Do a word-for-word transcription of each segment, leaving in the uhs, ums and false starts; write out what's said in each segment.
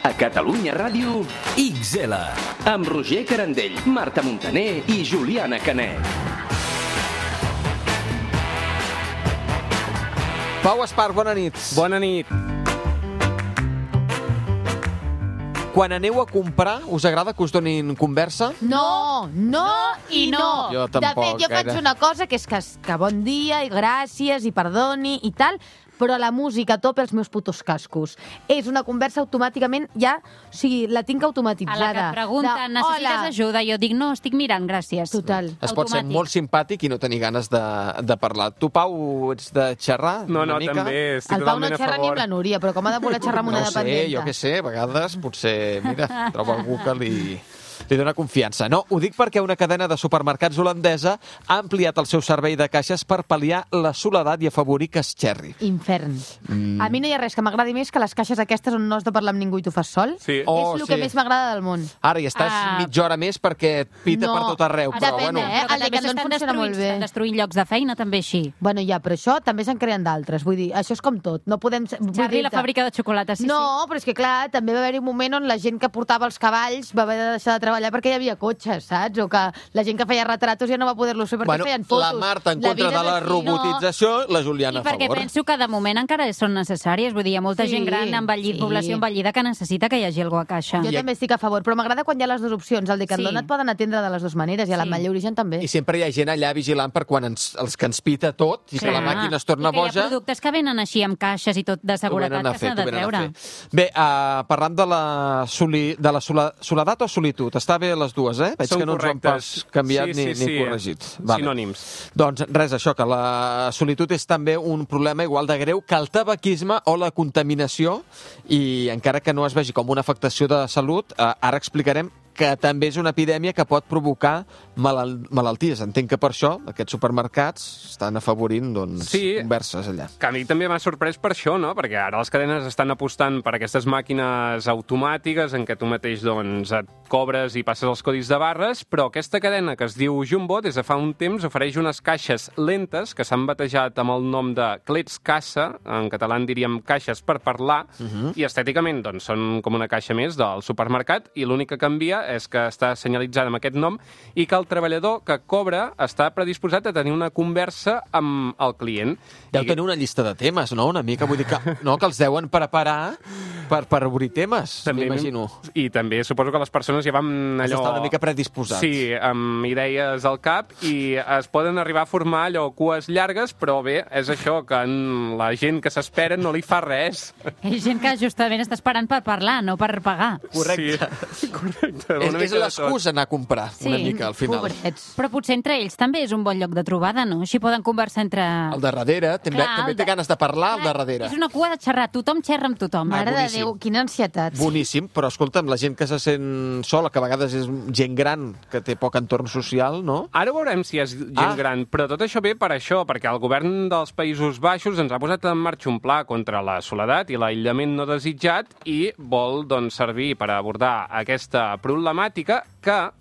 A Catalunya Ràdio, X L. Amb Roger Carandell, Marta Montaner i Juliana Canet. Pau Espart, bona nit. Bona nit. Quan aneu a comprar, us agrada que us donin conversa? No, no i no. Jo tampoc, de fet, jo faig gaire. una cosa que és que, que bon dia i gràcies i perdoni i tal, però la música a tope els meus putos cascos. És una conversa automàticament ja, o sigui, la tinc automatitzada. A la que et pregunten, De, necessites "Hola". ajuda? Jo dic, no, estic mirant, gràcies. Total. Es pot ser Automàtic. molt simpàtic i no tenir ganes de, de parlar. Tu, Pau, ets de xerrar No, una no, mica? també estic El Pau no totalment a xerra ni favor. amb la Núria, però com ha de voler xerrar amb una No ho sé, dependenta? jo què sé, a vegades potser, mira, troba algú que li, li dona confiança. No, ho dic perquè una cadena de supermercats holandesa ha ampliat el seu servei de caixes per pal·liar la soledat i afavorir que es xerri. Infern. Mm. A mi no hi ha res que m'agradi més que les caixes aquestes on no has de parlar amb ningú i tu fas sol. Sí. Oh, és el sí. que més m'agrada del món. Ara hi estàs Ah. mitja hora més perquè et pita No, per tot arreu, però depèn, bueno... eh? Però El que també Decathlon s'estan funciona molt destruint, bé. s'estan destruint llocs de feina també així. Bueno, ja, però això també se'n creen d'altres. Vull dir, això és com tot. No podem... vull Charlie, dir-te- la fàbrica de xocolata, sí, no, però és que clar, també va haver-hi un moment on la gent que portava els cavalls va haver de deixar de treballar perquè hi havia cotxes, saps? O que la gent que feia retratos ja no va poder-lo fer perquè Bueno, feien fotos. la Marta en La contra vida de la és així, robotització, la sí. Juliana I a perquè favor. penso que de moment encara són necessàries. Vull dir, hi ha molta Sí, gent gran, envellit, sí. població envellida, que necessita que hi hagi algú a caixa. Jo I- també estic a favor, però m'agrada quan hi ha les dues opcions. Al Decathlon Sí. et poden atendre de les dues maneres i a Sí. l'Ametlla Origen també. I sempre hi ha gent allà vigilant per quan ens, els que ens pita tot i que la màquina es torna I que hi boja. ha productes que venen així amb caixes i tot de Ho seguretat venen a que fer, s'ha de ho venen a treure. fer. Bé, uh, parlant de la, soli, de la sola, soledat o solitud, està bé les dues, eh? Veig Són que no ens ho han correctes. pas canviat Sí, ni, sí, ni sí. corregit. Sinònims. Doncs res, això, que la solitud és també un problema igual de greu que el tabaquisme o la contaminació, i encara que no es vegi com una afectació de salut, uh, ara explicarem que també és una epidèmia que pot provocar malal malalties. Entenc que per això aquests supermercats estan afavorint doncs, Sí. converses allà. Que a mi també m'ha sorprès per això, no? Perquè ara les cadenes estan apostant per aquestes màquines automàtiques en què tu mateix doncs, et cobres i passes els codis de barres, però aquesta cadena que es diu Jumbo des de fa un temps ofereix unes caixes lentes que s'han batejat amb el nom de Clets Cassa, en català en diríem caixes per parlar, uh -huh. i estèticament doncs, són com una caixa més del supermercat, i l'únic que canvia és que està senyalitzada amb aquest nom i que el treballador que cobra està predisposat a tenir una conversa amb el client. Deu I- tenir una llista de temes, no? Una mica, vull dir que, no, que els deuen preparar per, per obrir temes, m'imagino. I també suposo que les persones ja van Has allò... d'estar una mica predisposats. Sí, amb idees al cap, i es poden arribar a formar allò cues llargues, però bé, és això, que en la gent que s'espera no li fa res. Hi ha gent que justament està esperant per parlar, no per pagar. Correcte. Sí, correcte. És, una és mica de l'excusa anar a comprar, Sí, una mica, al final. Pobrets. Però potser entre ells també és un bon lloc de trobada, no? Així poden conversar entre... El de darrere, també, Clar, també el té de- ganes de parlar, el de Clar, darrere. És una cua de xerrar, tothom xerra amb tothom. Mare de boníssim. Déu, quina ansietat. Boníssim, però escolta'm, la gent que se sent sola, que a vegades és gent gran, que té poc entorn social, no? Ara veurem si és gent Ah. gran, però tot això ve per això, perquè el govern dels Països Baixos ens ha posat en marxa un pla contra la soledat i l'aïllament no desitjat i vol doncs, servir per abordar aquesta problemàtica que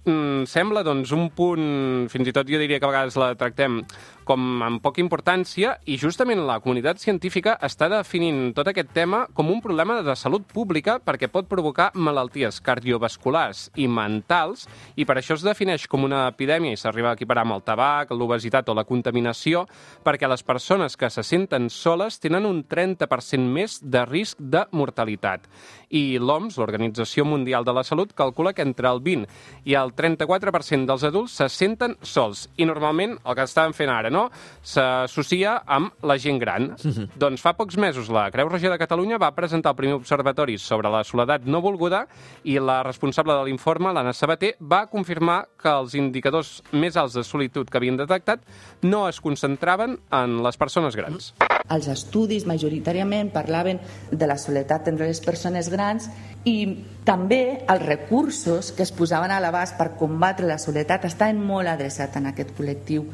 mm, sembla doncs, un punt, fins i tot jo diria que a vegades la tractem com amb poca importància, i justament la comunitat científica està definint tot aquest tema com un problema de salut pública perquè pot provocar malalties cardiovasculars i mentals, i per això es defineix com una epidèmia i s'arriba a equiparar amb el tabac, l'obesitat o la contaminació, perquè les persones que se senten soles tenen un trenta per cent més de risc de mortalitat. I l'O M S, l'Organització Mundial de la Salut, calcula que entre el vint i el trenta-quatre per cent dels adults se senten sols. I normalment el que estàvem fent ara, no?, s'associa amb la gent gran. Mm-hmm. Doncs fa pocs mesos la Creu Roja de Catalunya va presentar el primer observatori sobre la soledat no volguda, i la responsable de l'informe, l'Anna Sabater, va confirmar que els indicadors més alts de solitud que havien detectat no es concentraven en les persones grans. Els estudis majoritàriament parlaven de la soledat entre les persones grans, i també els recursos que es posaven a l'abast per combatre la soledat estaven molt adreçats en aquest col·lectiu.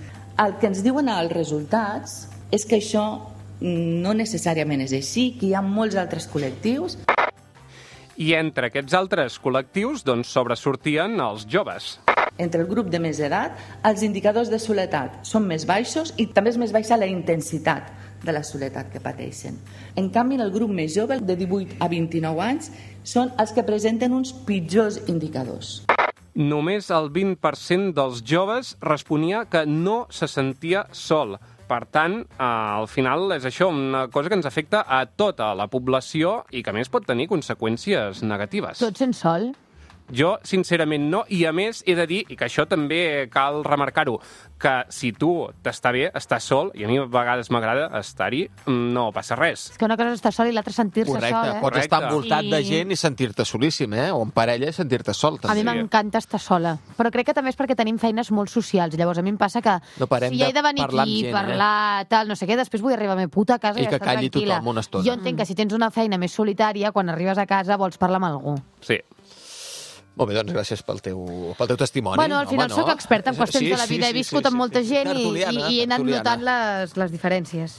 El que ens diuen els resultats és que això no necessàriament és així, que hi ha molts altres col·lectius. I entre aquests altres col·lectius doncs, sobresortien els joves. Entre el grup de més edat, els indicadors de soledat són més baixos i també és més baixa la intensitat de la soledat que pateixen. En canvi, en el grup més jove, de divuit a vint-i-nou anys, són els que presenten uns pitjors indicadors. Només el vint per cent dels joves responia que no se sentia sol. Per tant, eh, al final és això, una cosa que ens afecta a tota la població i que a més pot tenir conseqüències negatives. Tots sent sol? Jo, sincerament, no. I, a més, he de dir, i que això també cal remarcar-ho, que si tu t'està bé, estàs sol, i a mi a vegades m'agrada estar-hi, no passa res. És que una cosa és estar sol i l'altra sentir-se Correcte, sol, eh? pots Correcte. estar envoltat I- de gent i sentir-te solíssim, eh? O en parella i sentir-te sol, A mi també. m'encanta estar sola, però crec que també és perquè tenim feines molt socials. Llavors, a mi em passa que No parem si he de de venir parlar amb aquí, gent, eh? parlar, tal, no sé què, després vull arribar a la meva puta casa i, I que estar calli tranquil·la. tothom una estona. Jo entenc que si tens una feina més solitària, quan arribes a casa vols parlar amb algú. Sí. Molt bé, doncs gràcies pel teu, pel teu testimoni. Bueno, al final Home, sóc experta en qüestions Sí, de la sí, vida, he sí, viscut sí, amb molta sí. gent i, Tertuliana, i, i he anat tertuliana. notant les, les diferències.